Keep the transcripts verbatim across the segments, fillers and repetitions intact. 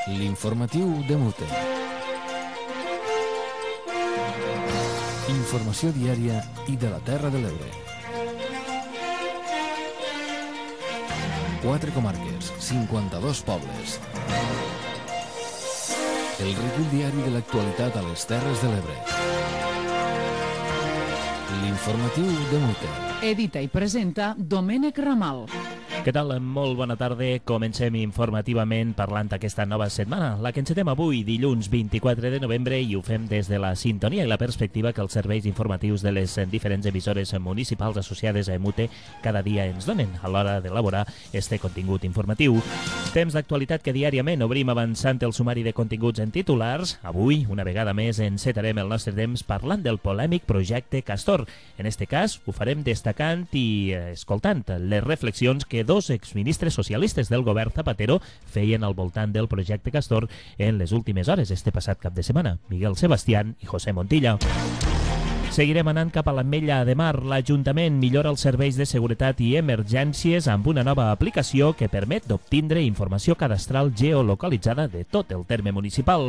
L'informatiu de Mute. Informació diària i de la Terra de l'Ebre. Quatre comarques, cinquanta-dos pobles. El recull diari de l'actualitat a les Terres de l'Ebre. L'informatiu de Mute. Edita i presenta Domènec Ramal. Què tal? Molt bona tarda. Comencem informativament parlant aquesta nova setmana, la que encetem avui, dilluns vint-i-quatre de novembre, i ho fem des de la sintonia i la perspectiva que els serveis informatius de les diferents emissores municipals associades a Mute cada dia ens donen a l'hora d'elaborar este contingut informatiu. Temps d'actualitat que diàriament obrim avançant el sumari de continguts en titulars. Avui, una vegada més, encetarem el nostre temps parlant del polèmic projecte Castor. En este cas, ho farem destacant i escoltant les reflexions que dos exministres socialistes del govern Zapatero feien al voltant del projecte Castor en les últimes hores este passat cap de setmana, Miguel Sebastián i José Montilla. Seguirem anant cap a l'Ametlla de Mar. L'Ajuntament millora els serveis de seguretat i emergències amb una nova aplicació que permet d'obtindre informació cadastral geolocalitzada de tot el terme municipal.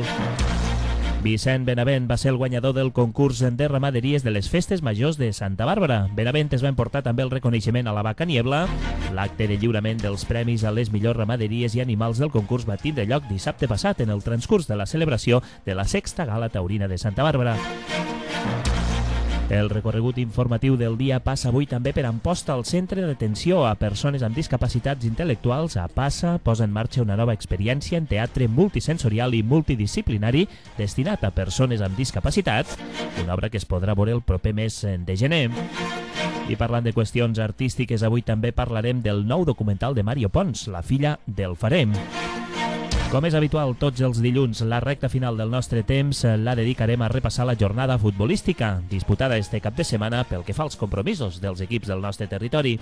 Vicent Benavent va ser el guanyador del concurs de ramaderies de les Festes Majors de Santa Bàrbara. Benavent es va emportar també el reconeixement a la Vaca Niebla. L'acte de lliurament dels premis a les millors ramaderies i animals del concurs va tindre lloc dissabte passat en el transcurs de la celebració de la sexta Gala Taurina de Santa Bàrbara. El recorregut informatiu del dia passa avui també per Amposta. El Centre d'Atenció a Persones amb Discapacitats Intel·lectuals, a PASSA, posa en marxa una nova experiència en teatre multisensorial i multidisciplinari destinat a persones amb discapacitat, una obra que es podrà veure el proper mes de gener. I parlant de qüestions artístiques, avui també parlarem del nou documental de Mario Pons, La filla del Farem. Com és habitual tots els dilluns, la recta final del nostre temps la dedicarem a repassar la jornada futbolística disputada este cap de setmana pel que fa als compromisos dels equips del nostre territori.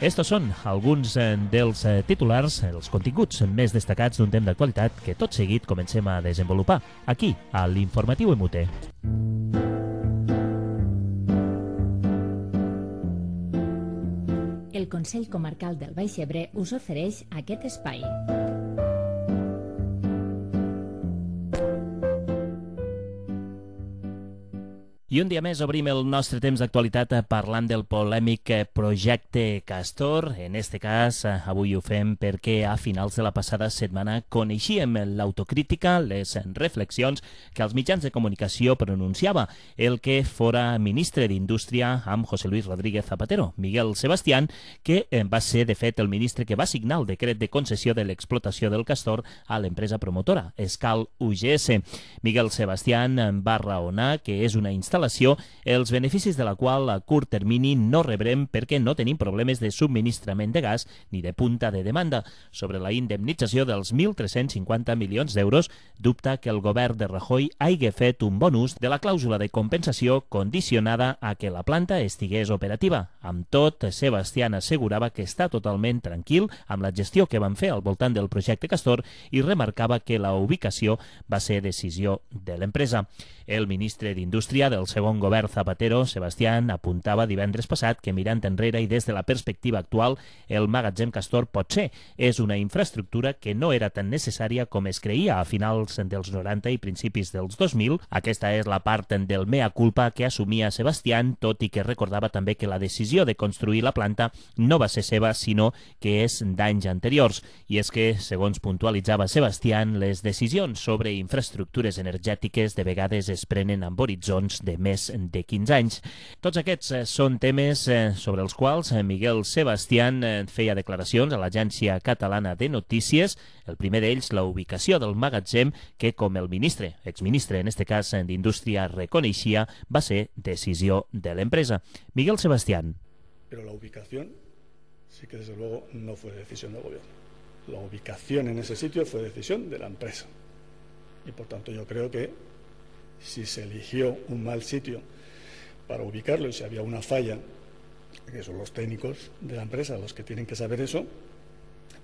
Estos són alguns dels titulars, els continguts més destacats d'un temps d'actualitat que tot seguit comencem a desenvolupar aquí, a l'Informatiu Mute. El Consell Comarcal del Baix Ebre us ofereix aquest espai. I un dia més obrim el nostre temps d'actualitat parlant del polèmic projecte Castor. En este cas, avui ho fem perquè a finals de la passada setmana coneixíem l'autocrítica, les reflexions que els mitjans de comunicació pronunciava el que fora ministre d'Indústria amb José Luis Rodríguez Zapatero, Miguel Sebastián, que va ser, de fet, el ministre que va signar el decret de concessió de l'explotació del Castor a l'empresa promotora, Escal U G S. Miguel Sebastián va raonar que és una instal·lació els beneficis de la qual a curt termini no rebrem perquè no tenim problemes de subministrament de gas ni de punta de demanda. Sobre la indemnització dels mil tres-cents cinquanta milions d'euros, dubta que el govern de Rajoy hagi fet un bon ús de la clàusula de compensació condicionada a que la planta estigués operativa. Amb tot, Sebastián assegurava que està totalment tranquil amb la gestió que van fer al voltant del projecte Castor i remarcava que la ubicació va ser decisió de l'empresa. El ministre d'Indústria del segon govern Zapatero, Sebastián, apuntava divendres passat que mirant enrere i des de la perspectiva actual, el magatzem Castor potser és una infraestructura que no era tan necessària com es creia a finals dels noranta i principis dels dos mil. Aquesta és la part del mea culpa que assumia Sebastián, tot i que recordava també que la decisió de construir la planta no va ser seva, sinó que és d'anys anteriors. I és que, segons puntualitzava Sebastián, les decisions sobre infraestructures energètiques de vegades es prenen amb horitzons de més de quinze anys. Tots aquests són temes sobre els quals Miguel Sebastián feia declaracions a l'Agència Catalana de Notícies. El primer d'ells, la ubicació del magatzem, que com el ministre, exministre en este cas d'Indústria, reconeixia, va ser decisió de l'empresa. Miguel Sebastián. Pero la ubicación sí que desde luego no fue decisión del gobierno. La ubicación en ese sitio fue decisión de la empresa. Y por tanto yo creo que si se eligió un mal sitio para ubicarlo y si había una falla, que son los técnicos de la empresa los que tienen que saber eso,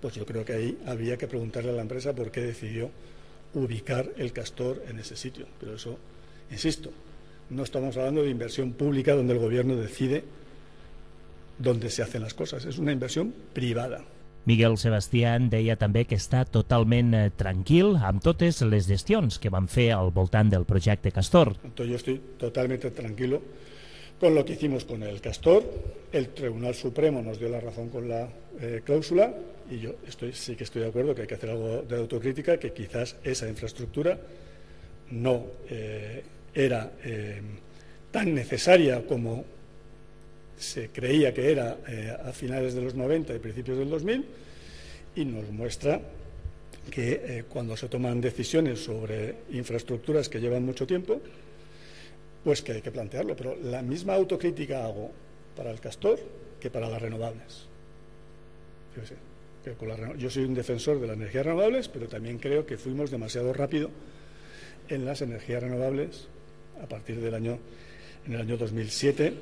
pues yo creo que ahí había que preguntarle a la empresa por qué decidió ubicar el Castor en ese sitio. Pero eso, insisto, no estamos hablando de inversión pública donde el gobierno decide dónde se hacen las cosas, es una inversión privada. Miguel Sebastián deia també que està totalment eh, tranquil amb totes les gestions que van fer al voltant del projecte Castor. Entonces yo estoy totalmente tranquilo con lo que hicimos con el Castor. El Tribunal Supremo nos dio la razón con la eh, cláusula y yo estoy, sí que estoy de acuerdo que hay que hacer algo de autocrítica, que quizás esa infraestructura no eh, era eh, tan necesaria como se creía que era eh, a finales de los noventa y principios del dos mil, y nos muestra que eh, cuando se toman decisiones sobre infraestructuras que llevan mucho tiempo, pues que hay que plantearlo. Pero la misma autocrítica hago para el Castor que para las renovables. Fíjese, que con la reno... Yo soy un defensor de las energías renovables, pero también creo que fuimos demasiado rápido en las energías renovables a partir del año, en el año dos mil siete.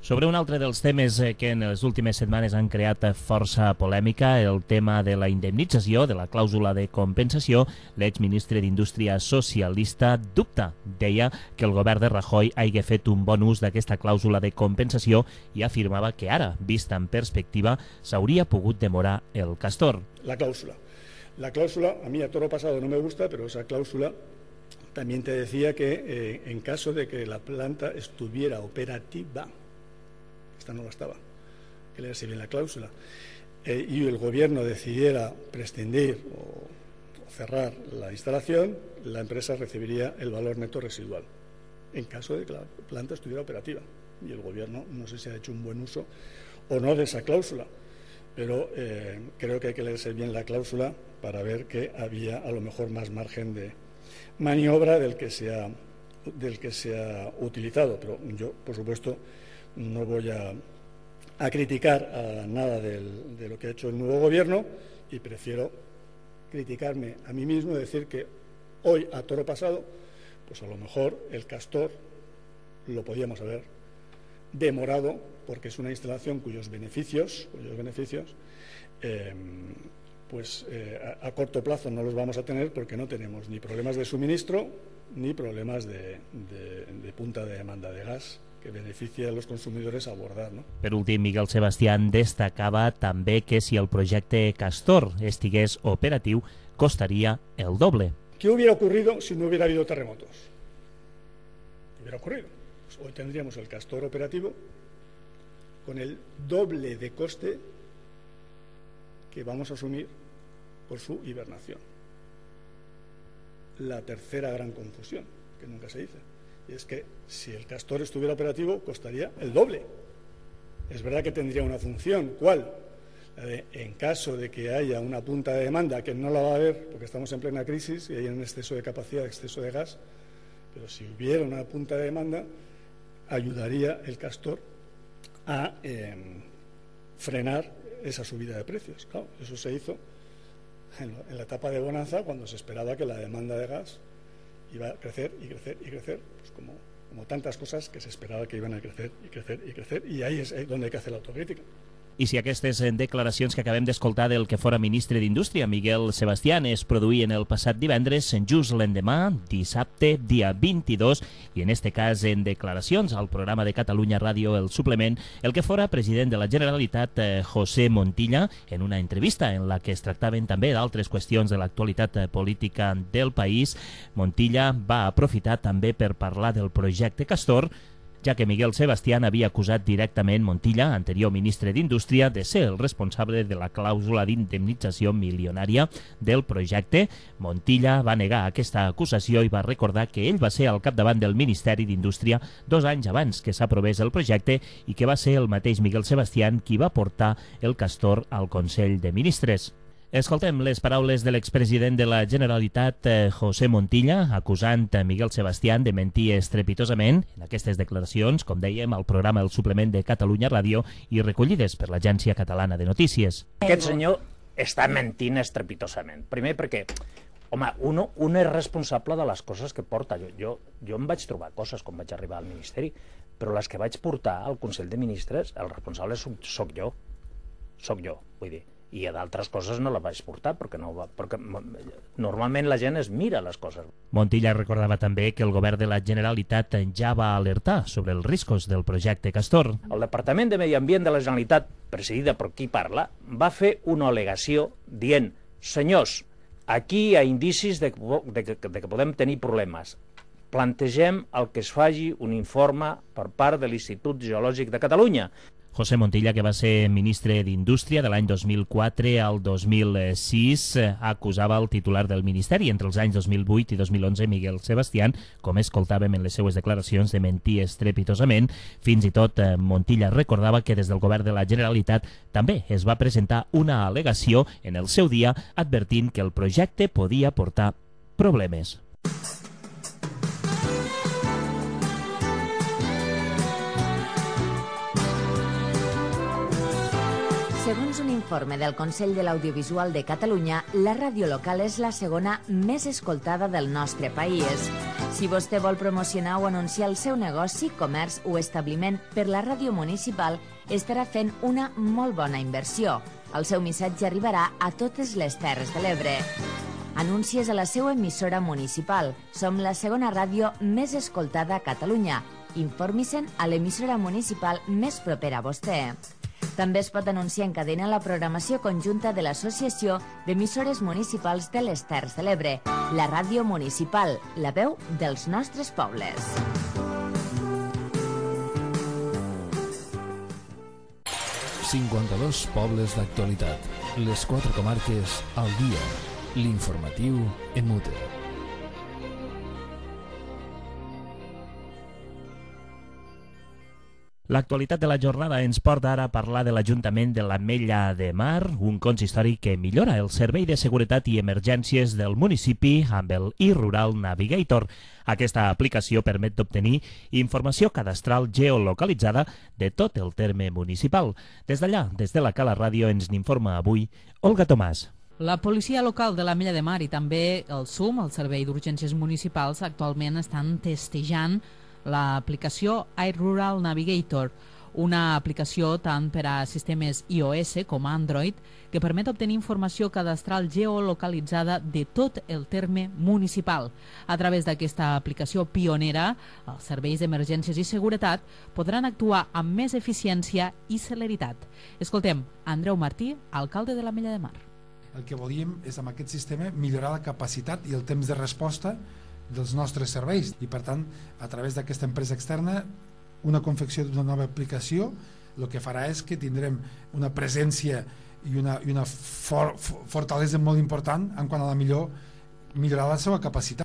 Sobre un altre dels temes que en les últimes setmanes han creat força polèmica, el tema de la indemnització, de la clàusula de compensació, l'exministre d'Indústria socialista dubta. Deia que el govern de Rajoy hagi fet un bon ús d'aquesta clàusula de compensació i afirmava que ara, vista en perspectiva, s'hauria pogut demorar el Castor. La cláusula. La cláusula, a mí a toro pasado no me gusta, pero esa cláusula también te decía que eh, en caso de que la planta estuviera operativa, esta no la estaba, que leerse bien la cláusula, eh, y el gobierno decidiera prescindir o, o cerrar la instalación, la empresa recibiría el valor neto residual, en caso de que la planta estuviera operativa. Y el gobierno no sé si ha hecho un buen uso o no de esa cláusula, pero eh, creo que hay que leerse bien la cláusula para ver que había a lo mejor más margen de maniobra del que se ha, del que se ha utilizado. Pero yo, por supuesto, no voy a, a criticar a nada del, de lo que ha hecho el nuevo gobierno, y prefiero criticarme a mí mismo y decir que hoy, a toro pasado, pues a lo mejor el Castor lo podíamos haber demorado, porque es una instalación cuyos beneficios, cuyos beneficios eh, pues eh, a, a corto plazo no los vamos a tener, porque no tenemos ni problemas de suministro ni problemas de, de, de punta de demanda de gas que beneficia a los consumidores a abordar, ¿no? Per últim, Miguel Sebastián destacava també que si el projecte Castor estigués operatiu, costaria el doble. ¿Qué hubiera ocurrido si no hubiera habido terremotos? ¿Qué hubiera ocurrido? Pues hoy tendríamos el Castor operativo con el doble de coste que vamos a asumir por su hibernación. La tercera gran confusión, que nunca se dice, y es que si el Castor estuviera operativo costaría el doble. Es verdad que tendría una función, ¿cuál? La de, en caso de que haya una punta de demanda, que no la va a haber porque estamos en plena crisis y hay un exceso de capacidad, exceso de gas, pero si hubiera una punta de demanda, ayudaría el Castor a eh, frenar esa subida de precios. Claro, eso se hizo en la etapa de bonanza, cuando se esperaba que la demanda de gas iba a crecer y crecer y crecer, pues como, como tantas cosas que se esperaba que iban a crecer y crecer y crecer, y ahí es donde hay que hacer la autocrítica. I si aquestes declaracions que acabem d'escoltar del que fora ministre d'Indústria, Miguel Sebastián, es produïen el passat divendres, just l'endemà, dissabte, dia vint-i-dos, i en este cas en declaracions al programa de Catalunya Ràdio El Suplement, el que fora president de la Generalitat, eh, José Montilla, en una entrevista en la que es tractaven també d'altres qüestions de l'actualitat política del país, Montilla va aprofitar també per parlar del projecte Castor, ja que Miguel Sebastián havia acusat directament Montilla, anterior ministre d'Indústria, de ser el responsable de la clàusula d'indemnització milionària del projecte. Montilla va negar aquesta acusació i va recordar que ell va ser al capdavant del Ministeri d'Indústria dos anys abans que s'aprovés el projecte i que va ser el mateix Miguel Sebastián qui va portar el Castor al Consell de Ministres. Escoltem les paraules de l'expresident de la Generalitat, José Montilla, acusant Miguel Sebastián de mentir estrepitosament en aquestes declaracions, com dèiem, al programa El Suplement de Catalunya Ràdio i recollides per l'Agència Catalana de Notícies. Aquest senyor està mentint estrepitosament. Primer perquè, home, uno, un és responsable de les coses que porta. Jo, jo, jo em vaig trobar coses quan vaig arribar al Ministeri, però les que vaig portar al Consell de Ministres, el responsable soc, soc jo. Soc jo, vull dir. i a d'altres coses no la vaig portar, perquè, no va, perquè normalment la gent es mira les coses. Montilla recordava també que el govern de la Generalitat ja va alertar sobre els riscos del projecte Castor. El Departament de Medi Ambient de la Generalitat, presidida per qui parla, va fer una al·legació dient: senyors, aquí hi ha indicis de, de, de, de que podem tenir problemes. Plantegem el que es faci un informe per part de l'Institut Geològic de Catalunya. José Montilla, que va ser ministre d'Indústria de l'any dos mil quatre al dos mil sis, acusava el titular del Ministeri entre els anys dos mil vuit i dos mil onze, Miguel Sebastián, com escoltàvem en les seues declaracions, de mentir estrepitosament. Fins i tot Montilla recordava que des del govern de la Generalitat també es va presentar una al·legació en el seu dia advertint que el projecte podia portar problemes. Segons un informe del Consell de l'Audiovisual de Catalunya, la ràdio local és la segona més escoltada del nostre país. Si vostè vol promocionar o anunciar el seu negoci, comerç o establiment per la ràdio municipal, estarà fent una molt bona inversió. El seu missatge arribarà a totes les Terres de l'Ebre. Anuncies a la seva emissora municipal. Som la segona ràdio més escoltada a Catalunya. Informi-se'n a l'emissora municipal més propera a vostè. També es pot anunciar en cadena la programació conjunta de l'Associació d'Emissores Municipals de les Terres de l'Ebre, la ràdio municipal, la veu dels nostres pobles. cinquanta-dos pobles d'actualitat. Les quatre comarques al dia. L'informatiu en mute. L'actualitat de la jornada ens porta ara a parlar de l'Ajuntament de l'Ametlla de Mar, un consistori que millora el servei de seguretat i emergències del municipi amb el iRural Navigator. Aquesta aplicació permet d'obtenir informació cadastral geolocalitzada de tot el terme municipal. Des d'allà, des de la Cala Ràdio, ens n'informa avui Olga Tomàs. La policia local de l'Ametlla de Mar i també el S U M, el Servei d'Urgències Municipals, actualment estan testejant l'aplicació iRural Navigator, una aplicació tant per a sistemes iOS com Android que permet obtenir informació cadastral geolocalitzada de tot el terme municipal. A través d'aquesta aplicació pionera, els serveis d'emergències i seguretat podran actuar amb més eficiència i celeritat. Escoltem Andreu Martí, alcalde de l'Ametlla de Mar. El que volíem és, amb aquest sistema, millorar la capacitat i el temps de resposta dels nostres serveis i, per tant, a través d'aquesta empresa externa, una confecció d'una nova aplicació el que farà és que tindrem una presència i una, i una for, fortalesa molt important en quant a la millor millorar la seva capacitat.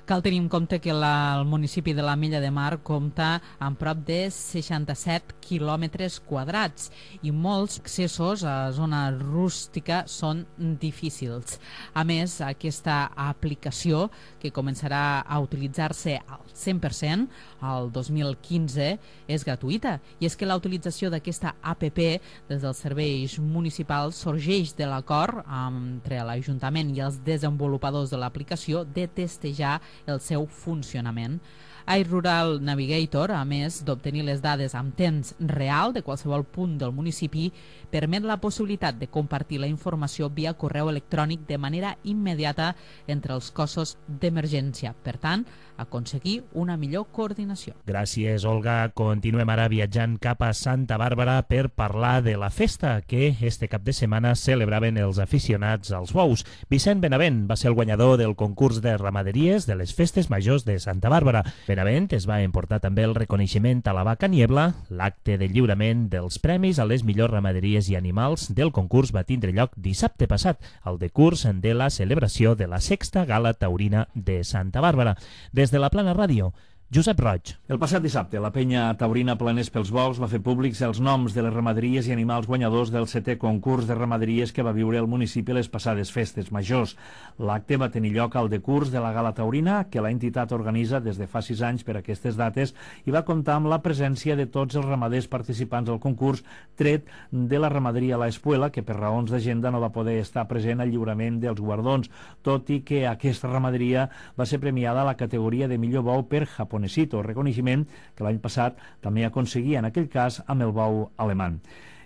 Cal tenir en compte que la, el municipi de l'Ametlla de Mar compta amb prop de seixanta-set quilòmetres quadrats i molts accessos a zona rústica són difícils. A més, aquesta aplicació, que començarà a utilitzar-se al cent per cent el dos mil quinze, és gratuïta. I és que la utilització d'aquesta app des dels serveis municipals sorgeix de l'acord entre l'Ajuntament i els desenvolupadors de l'aplicació de testejar el seu funcionament. iRural Navigator, a més d'obtenir les dades amb temps real de qualsevol punt del municipi, permet la possibilitat de compartir la informació via correu electrònic de manera immediata entre els cossos d'emergència. Per tant, aconseguir una millor coordinació. Gràcies, Olga. Continuem ara viatjant cap a Santa Bàrbara per parlar de la festa que este cap de setmana celebraven els aficionats als bous. Vicent Benavent va ser el guanyador del concurs de ramaderies de les festes majors de Santa Bàrbara. Benavent es va emportar també el reconeixement a la vaca Niebla. L'acte de lliurament dels premis a les millors ramaderies i animals del concurs va tindre lloc dissabte passat, al decurs de la celebració de la sexta Gala Taurina de Santa Bàrbara. Des de la Plana Ràdio, Josep Roig. El passat dissabte, la penya taurina Planers pels Bous va fer públics els noms de les ramaderies i animals guanyadors del setè concurs de ramaderies que va viure el municipi les passades festes majors. L'acte va tenir lloc al decurs de la Gala Taurina, que l'entitat organitza des de fa sis anys per aquestes dates, i va comptar amb la presència de tots els ramaders participants al concurs, tret de la ramaderia La Espuela, que per raons d'agenda no va poder estar present al lliurament dels guardons, tot i que aquesta ramaderia va ser premiada a la categoria de millor bou per japonesito, reconeixement que l'any passat també aconseguia en aquell cas amb el bou alemany.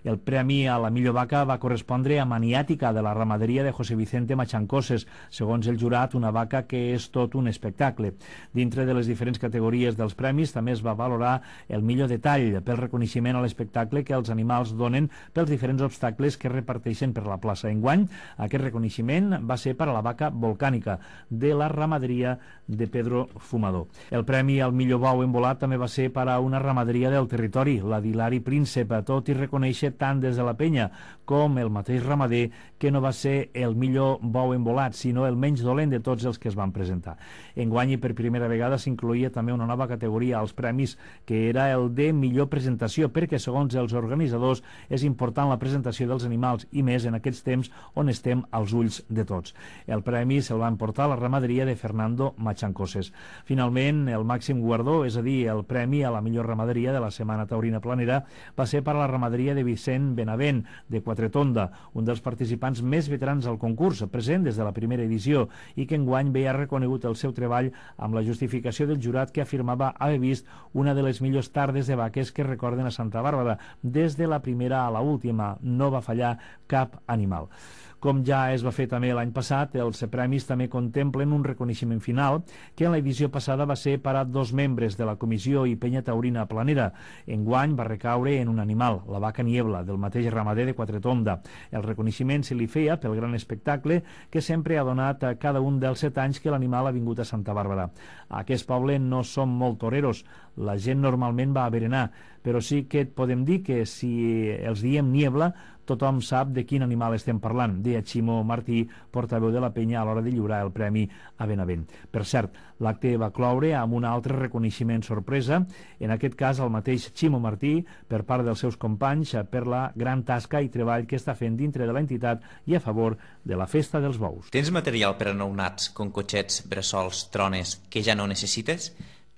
El premi a la millor vaca va correspondre a Maniàtica, de la ramaderia de José Vicente Machancoses, segons el jurat, una vaca que és tot un espectacle. Dintre de les diferents categories dels premis també es va valorar el millor detall pel reconeixement a l'espectacle que els animals donen pels diferents obstacles que reparteixen per la plaça. Enguany, aquest reconeixement va ser per a la vaca volcànica de la ramaderia de Pedro Fumador. El premi al millor bou embolat també va ser per a una ramaderia del territori, la d'Hilari Príncep, tot i reconèixer tant des de la penya com el mateix ramader que no va ser el millor bou embolat, sinó el menys dolent de tots els que es van presentar. Enguany, i per primera vegada, s'incloïa també una nova categoria als premis, que era el de millor presentació, perquè, segons els organitzadors, és important la presentació dels animals, i més en aquests temps on estem als ulls de tots. El premi se'l va emportar la ramaderia de Fernando Machancoses. Finalment, el màxim guardó, és a dir, el premi a la millor ramaderia de la Setmana Taurina Planera, va ser per a la ramaderia de Vicent Benavent, de Quatretonda, un dels participants més veterans al concurs, present des de la primera edició, i que enguany veia reconegut el seu treball amb la justificació del jurat, que afirmava haver vist una de les millors tardes de vaques que recorden a Santa Bàrbara. Des de la primera a la última no va fallar cap animal. Com ja es va fer també l'any passat, els premis també contemplen un reconeixement final, que en l'edició passada va ser per a dos membres de la Comissió i Penya Taurina Planera. Enguany va recaure en un animal, la vaca Niebla, del mateix ramader de Quatretonda. El reconeixement se li feia pel gran espectacle que sempre ha donat a cada un dels set anys que l'animal ha vingut a Santa Bàrbara. A aquest poble no som molt toreros, la gent normalment va a berenar, però sí que et podem dir que si els diem Niebla, tothom sap de quin animal estem parlant, deia Ximo Martí, portaveu de la penya, a l'hora de lliurar el premi a Benavent. Per cert, l'acte va cloure amb un altre reconeixement sorpresa, en aquest cas el mateix Ximo Martí, per part dels seus companys, per la gran tasca i treball que està fent dintre de l'entitat i a favor de la Festa dels Bous. Tens material per a nounats, com cotxets, bressols, trones, que ja no necessites?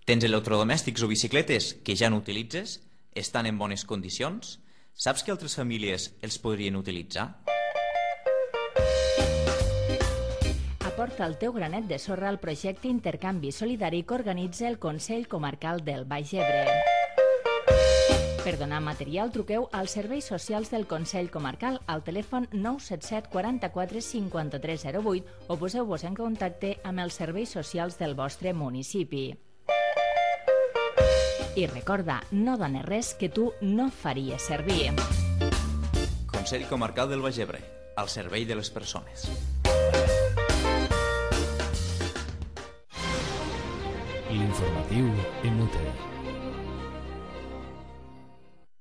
Tens electrodomèstics o bicicletes que ja no utilitzes? Estan en bones condicions? Saps que altres famílies els podrien utilitzar? Aporta el teu granet de sorra al projecte Intercanvi Solidari que organitza el Consell Comarcal del Baix Ebre. Per donar material, truqueu als serveis socials del Consell Comarcal al telèfon nou set set quaranta-quatre cinquanta-tres zero vuit o poseu-vos en contacte amb els serveis socials del vostre municipi. I recorda, no dones res que tu no faries servir. Consell Comarcal del Baix Ebre, al servei de les persones. L'informatiu en U T E.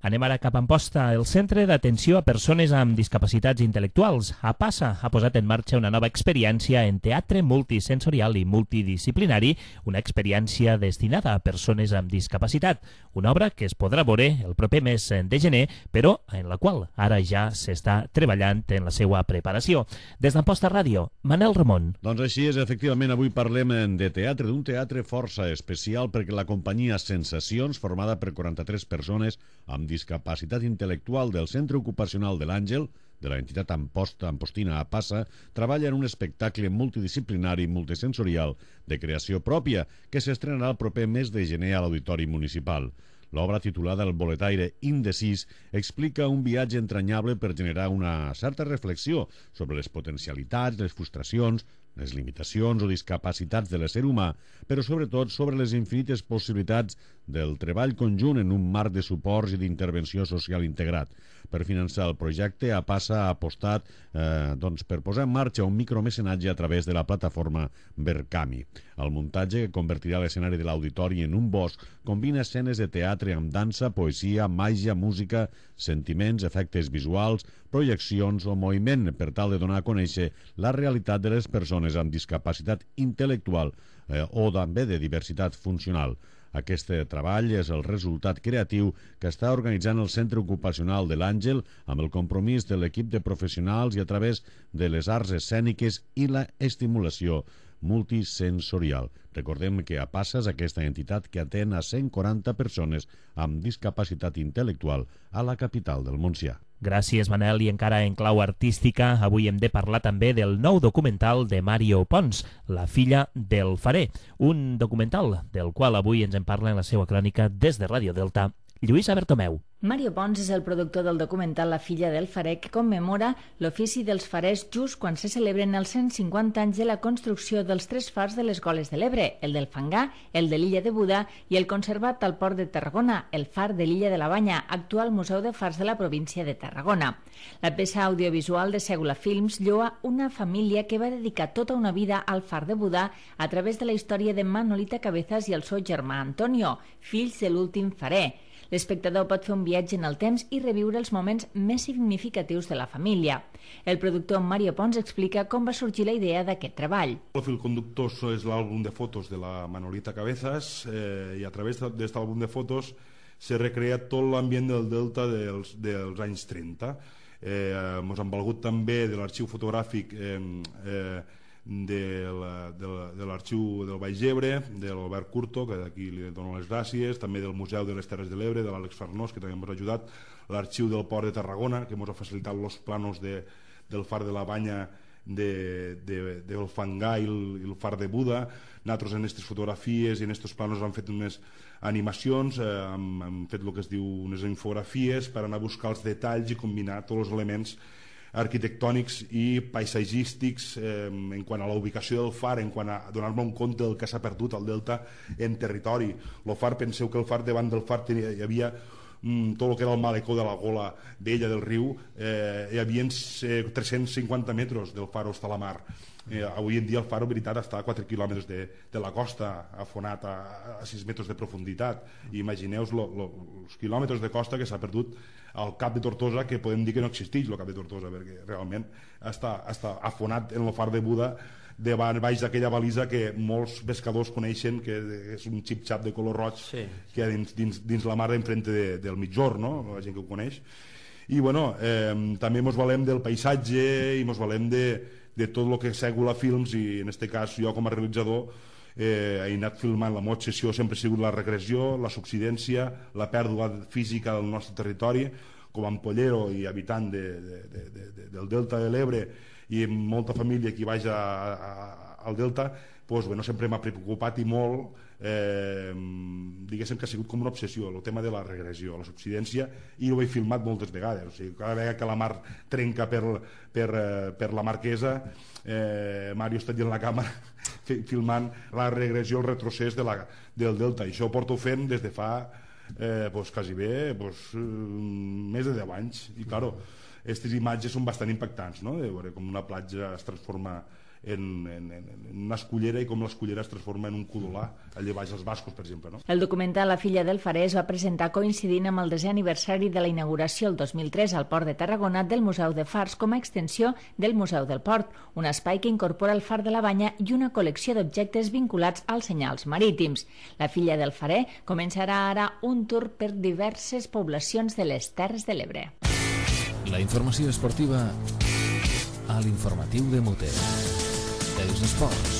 Anem ara cap a Amposta. El Centre d'Atenció a Persones amb Discapacitats Intel·lectuals, APASA, ha posat en marxa una nova experiència en teatre multisensorial i multidisciplinari, una experiència destinada a persones amb discapacitat, una obra que es podrà veure el proper mes de gener, però en la qual ara ja s'està treballant en la seva preparació. Des d'Amposta Ràdio, Manel Ramon. Doncs així és, efectivament, avui parlem de teatre, d'un teatre força especial, perquè la companyia Sensacions, formada per quaranta-tres persones amb discapacitat intel·lectual del Centre Ocupacional de l'Àngel, de l'entitat Amposta, Ampostina APASA, treballa en un espectacle multidisciplinari i multisensorial de creació pròpia que s'estrenarà el proper mes de gener a l'Auditori Municipal. L'obra, titulada El boletaire indecís, explica un viatge entranyable per generar una certa reflexió sobre les potencialitats, les frustracions, les limitacions o discapacitats de l'ésser humà, però sobretot sobre les infinites possibilitats del treball conjunt en un marc de suports i d'intervenció social integrat. Per finançar el projecte, APASA ha apostat eh, doncs, per posar en marxa un micromecenatge a través de la plataforma Verkami. El muntatge, que convertirà l'escenari de l'auditori en un bosc, combina escenes de teatre amb dansa, poesia, màgia, música, sentiments, efectes visuals, projeccions o moviment, per tal de donar a conèixer la realitat de les persones amb discapacitat intel·lectual eh, o també de diversitat funcional. Aquest treball és el resultat creatiu que està organitzant el Centre Ocupacional de l'Àngel amb el compromís de l'equip de professionals i a través de les arts escèniques i la estimulació multisensorial. Recordem que APASA és aquesta entitat que atén a cent quaranta persones amb discapacitat intel·lectual a la capital del Montsià. Gràcies, Manel. I encara en clau artística, avui hem de parlar també del nou documental de Mario Pons, La filla del farer, un documental del qual avui ens en parla en la seva crònica des de Ràdio Delta, Lluïsa Bertomeu. Mario Pons és el productor del documental La filla del farer, que commemora l'ofici dels farers just quan se celebren els cent cinquanta anys de la construcció dels tres fars de les Goles de l'Ebre, el del Fangar, el de l'illa de Buda i el conservat al port de Tarragona, el far de l'illa de la Banya, actual Museu de Fars de la província de Tarragona. La peça audiovisual de Segula Films lloa una família que va dedicar tota una vida al far de Buda a través de la història de Manolita Cabezas i el seu germà Antonio, fills de l'últim farer. L'espectador pot fer un viatge en el temps i reviure els moments més significatius de la família. El productor Mario Pons explica com va sorgir la idea d'aquest treball. El fil conductor és l'àlbum de fotos de la Manolita Cabezas eh, i a través d'aquest àlbum de fotos se recrea tot l'ambient del Delta dels, dels anys trenta. Eh, ens han valgut també de l'arxiu fotogràfic eh, eh, de l'arxiu del Baix Ebre, de l'Albert Curto, que d'aquí li dono les gràcies, també del Museu de les Terres de l'Ebre, de l'Àlex Farnós, que també ens ha ajudat, l'arxiu del Port de Tarragona, que ens ha facilitat els planos de, del far de la Banya, de, de, del Fangar i el, i el far de Buda. Nosaltres en aquestes fotografies i en aquests planos hem fet unes animacions, eh, hem, hem fet el que es diu unes infografies per anar a buscar els detalls i combinar tots els elements arquitectònics i paisatgístics eh, en quant a la ubicació del far, en quant a donar-me un compte del que s'ha perdut al delta en territori. El far, penseu que el far, davant del far tenia, hi havia mm, tot el que era el malecó de la gola d'ella del riu, eh, hi havia eh, tres-cents cinquanta metres del far hasta la mar. Eh, avui en dia el far, en veritat, està a quatre quilòmetres de, de la costa, afonat a, a sis metres de profunditat. I imagineu-vos els quilòmetres de costa que s'ha perdut al cap de Tortosa, que podem dir que no existeix el cap de Tortosa, perquè realment està, està afonat en el far de Buda, davant baix d'aquella balisa que molts pescadors coneixen, que és un xip-xap de color roig, sí, que hi ha dins, dins, dins la mar enfrente de, del Mitjor, no? La gent que ho coneix. I bueno, eh, també ens valem del paisatge i ens valem de, de tot el que Segula Films, i en aquest cas jo com a realitzador eh, he anat filmant. La meva obsessió sempre ha sigut la regressió, la subsidència, la pèrdua física del nostre territori. Com a ampollero i habitant de, de, de, de, del Delta de l'Ebre i amb molta família que hi vaig a, a, al Delta, doncs, bueno, sempre m'ha preocupat i molt, eh, diguéssim que ha sigut com una obsessió el tema de la regressió, la subsidència, i ho he filmat moltes vegades. O sigui, cada vegada que la mar trenca per, per, per la Marquesa, eh, Mario està allà en la càmera filmant la regressió, el retrocés de la, del Delta, i això ho porto fent des de fa eh, pues, quasi bé pues, més de deu anys. I claro, aquestes imatges són bastant impactants, no? De veure com una platja es transforma En, en, en una escullera i com l'escullera es transforma en un codolà allà baix als Bascos, per exemple, no? El documental La filla del farer es va presentar coincidint amb el desè aniversari de la inauguració el dos mil tres al Port de Tarragona del Museu de Fars com a extensió del Museu del Port, un espai que incorpora el far de la Banya i una col·lecció d'objectes vinculats als senyals marítims. La filla del farer començarà ara un tour per diverses poblacions de les Terres de l'Ebre. La informació esportiva a l'informatiu de Mute. Els esports.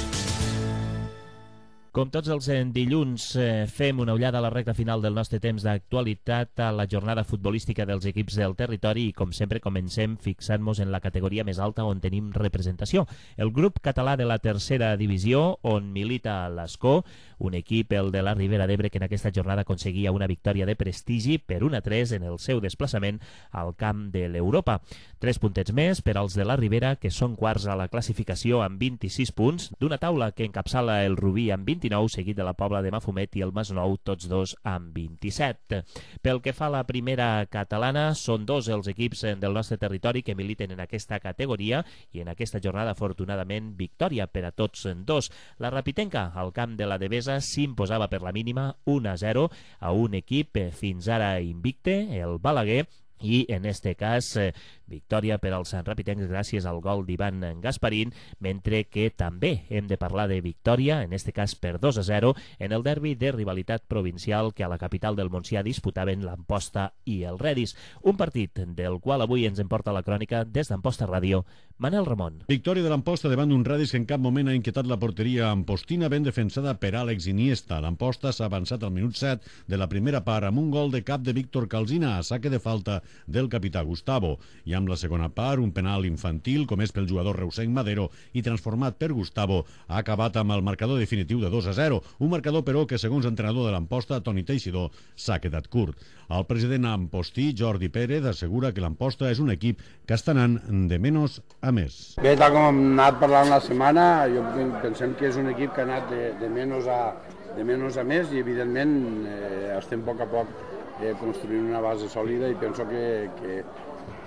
Com tots els dilluns, eh, fem una ullada a la recta final del nostre temps d'actualitat a la jornada futbolística dels equips del territori i, com sempre, comencem fixant-nos en la categoria més alta on tenim representació. El grup català de la tercera divisió, on milita l'Escó, un equip, el de la Ribera d'Ebre, que en aquesta jornada aconseguia una victòria de prestigi per un a tres en el seu desplaçament al camp de l'Europa. Tres puntets més per als de la Ribera, que són quarts a la classificació amb vint-i-sis punts, d'una taula que encapçala el Rubí amb vint-i-nou, seguit de la Pobla de Mafumet i el Masnou, tots dos amb vint-i-set. Pel que fa a la primera catalana, són dos els equips del nostre territori que militen en aquesta categoria i en aquesta jornada, afortunadament, victòria per a tots dos. La Rapitenca, al camp de la Devesa, s'imposava per la mínima un a zero a un equip fins ara invicte, el Balaguer, i en este cas eh, victòria per als rapitencs gràcies al gol d'Ivan Gasparín, mentre que també hem de parlar de victòria, en este cas per dos a zero, en el derbi de rivalitat provincial que a la capital del Montsià disputaven l'Amposta i el Redis, un partit del qual avui ens en porta la crònica des d'Amposta Ràdio, Manel Ramon. Victòria de l'Amposta davant d'un Redis que en cap moment ha inquietat la porteria ampostina, ben defensada per Àlex Iniesta. L'Amposta s'ha avançat al minut set de la primera part amb un gol de cap de Víctor Calzina a saque de falta del capità Gustavo. I amb la segona part, un penal infantil comès pel jugador reusenc Madero i transformat per Gustavo ha acabat amb el marcador definitiu de dos a zero. Un marcador, però, que segons l'entrenador de l'Amposta, Toni Teixidor, s'ha quedat curt. El president ampostí, Jordi Pérez, assegura que l'Amposta és un equip que està anant de menys a més. Bé, tal com hem anat parlant la setmana, jo pensem que és un equip que ha anat de, de, menys, a, de menys a més i, evidentment, eh, estem a poc a poc eh, construint una base sòlida i penso que, que,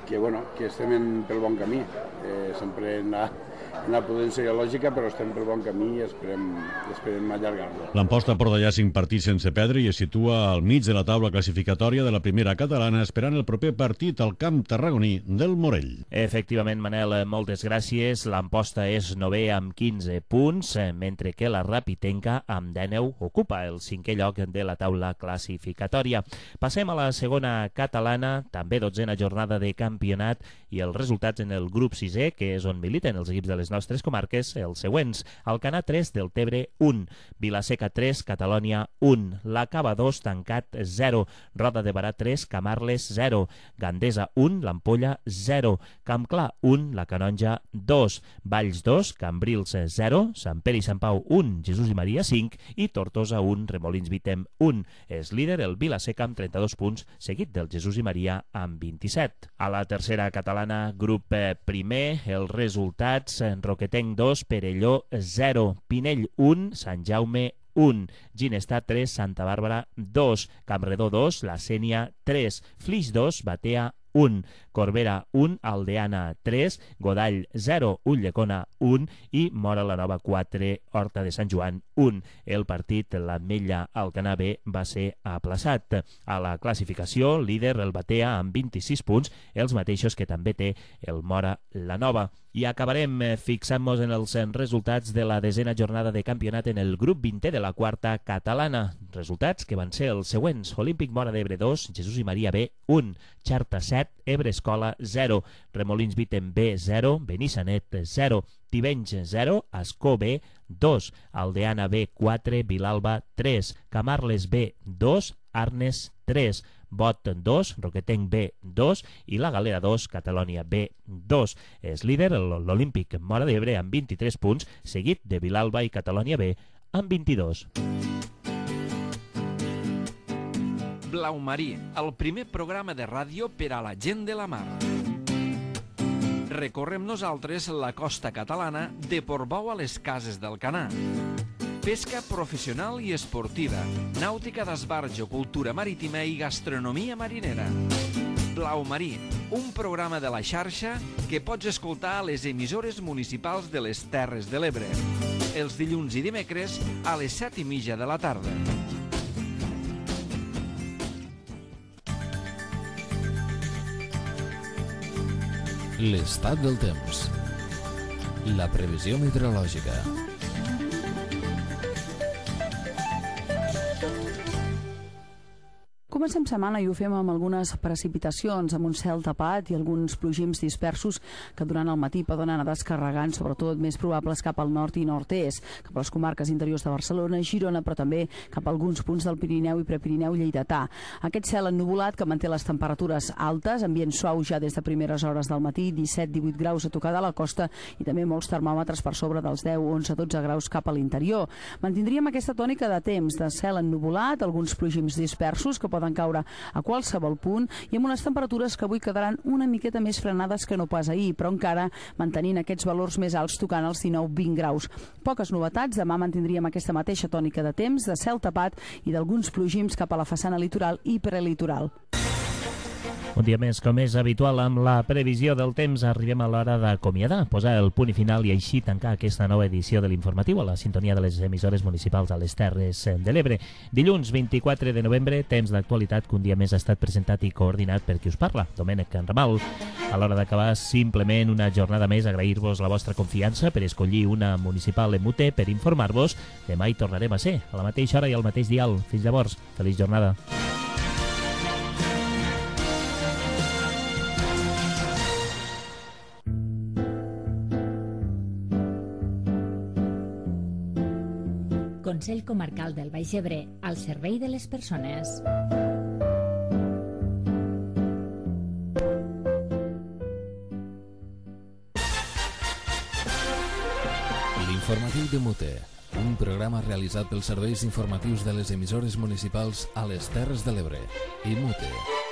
que, bueno, que estem en, pel bon camí. Eh, sempre hem anat una prudència lògica, però estem pel bon camí i esperem, esperem allargar-lo. L'Amposta porta ja cinc partits sense perdre i es situa al mig de la taula classificatòria de la primera catalana, esperant el proper partit al camp tarragoní del Morell. Efectivament, Manel, moltes gràcies. L'Amposta és novè amb quinze punts, mentre que la Rapitenca amb dinou ocupa el cinquè lloc de la taula classificatòria. Passem a la segona catalana, també dotzena jornada de campionat, i els resultats en el grup sisè, que és on militen els equips de les nostres comarques, els següents: Alcanar tres, Deltebre un, Vilaseca tres, Catalònia un, La Cava dos, Tancat zero, Roda de Barà tres, Camarles zero, Gandesa un, l'Ampolla zero, Campclar un, la Canonja dos, Valls dos, Cambrils zero, Sant Pere i Sant Pau un, Jesús i Maria cinc i Tortosa un, Remolins Vitem un. És líder el Vilaseca amb trenta-dos punts, seguit del Jesús i Maria amb vint-i-set. A la tercera catalana, grup primer, els resultats: Roquetenc dos, Perelló zero, Pinell un, Sant Jaume un, Ginestar tres, Santa Bàrbara dos, Campredó dos, La Sénia tres, Flix dos, Batea un, Corbera un, Aldeana tres, Godall zero, Ulldecona un i Mora la Nova quatre, Horta de Sant Joan un. El partit, l'Ametlla Alcanar B, va ser aplaçat. A la classificació, líder el Batea amb vint-i-sis punts, els mateixos que també té el Mora la Nova. I acabarem fixant-nos en els resultats de la desena jornada de campionat en el grup vintè de la quarta catalana. Resultats que van ser els següents: Olímpic Móra d'Ebre dos, Jesús i Maria B un, Xarta set, Ebre Escola zero, Remolins Vitem B zero, Benissanet zero, Tivenys zero, Ascó B dos, Aldeana B quatre, Vilalba tres, Camarles B dos, Arnes tres, Bot dos, Roquetenc B dos i la Galera dos, Catalònia B dos. És líder l'Olímpic Móra d'Ebre amb vint-i-tres punts, seguit de Vilalba i Catalònia B amb vint-i-dos. Blau Marí, el primer programa de ràdio per a la gent de la mar. Recorrem nosaltres la costa catalana de Portbou a les Cases d'Alcanar. Pesca professional i esportiva, nàutica d'esbarjo, cultura marítima i gastronomia marinera. Blau Marí, un programa de la xarxa que pots escoltar a les emissores municipals de les Terres de l'Ebre. Els dilluns i dimecres a les set i mitja de la tarda. L'estat del temps. La previsió meteorològica. Comencem setmana i ho fem amb algunes precipitacions, amb un cel tapat i alguns plogims dispersos que durant el matí poden anar descarregant, sobretot més probables cap al nord i nord-est, cap a les comarques interiors de Barcelona, Girona, però també cap a alguns punts del Pirineu i Prepirineu lleidatà. Aquest cel ennuvolat que manté les temperatures altes, ambient suau ja des de primeres hores del matí, disset divuit graus a tocar de la costa i també molts termòmetres per sobre dels deu onze dotze graus cap a l'interior. Mantindríem aquesta tònica de temps, de cel ennuvolat, alguns plogims dispersos que poden caure a qualsevol punt i amb unes temperatures que avui quedaran una miqueta més frenades que no pas ahir, però encara mantenint aquests valors més alts tocant els dinou vint graus. Poques novetats, demà mantindríem aquesta mateixa tònica de temps, de cel tapat i d'alguns plogims cap a la façana litoral i prelitoral. Un dia més, com és habitual, amb la previsió del temps, arribem a l'hora d'acomiadar, posar el punt i final i així tancar aquesta nova edició de l'informatiu a la sintonia de les emissores municipals a les Terres de l'Ebre. Dilluns vint-i-quatre de novembre, temps d'actualitat que un dia més ha estat presentat i coordinat per qui us parla, Domènec Ramal. A l'hora d'acabar, simplement una jornada més, agrair-vos la vostra confiança per escollir una municipal en Muté per informar-vos. Demà hi tornarem a ser, a la mateixa hora i al mateix dial. Fins llavors, feliç jornada. Consell Comarcal del Baix Ebre, al servei de les persones. L'informatiu de Mute, un programa realitzat pels serveis informatius de les emissores municipals a les Terres de l'Ebre i Mute.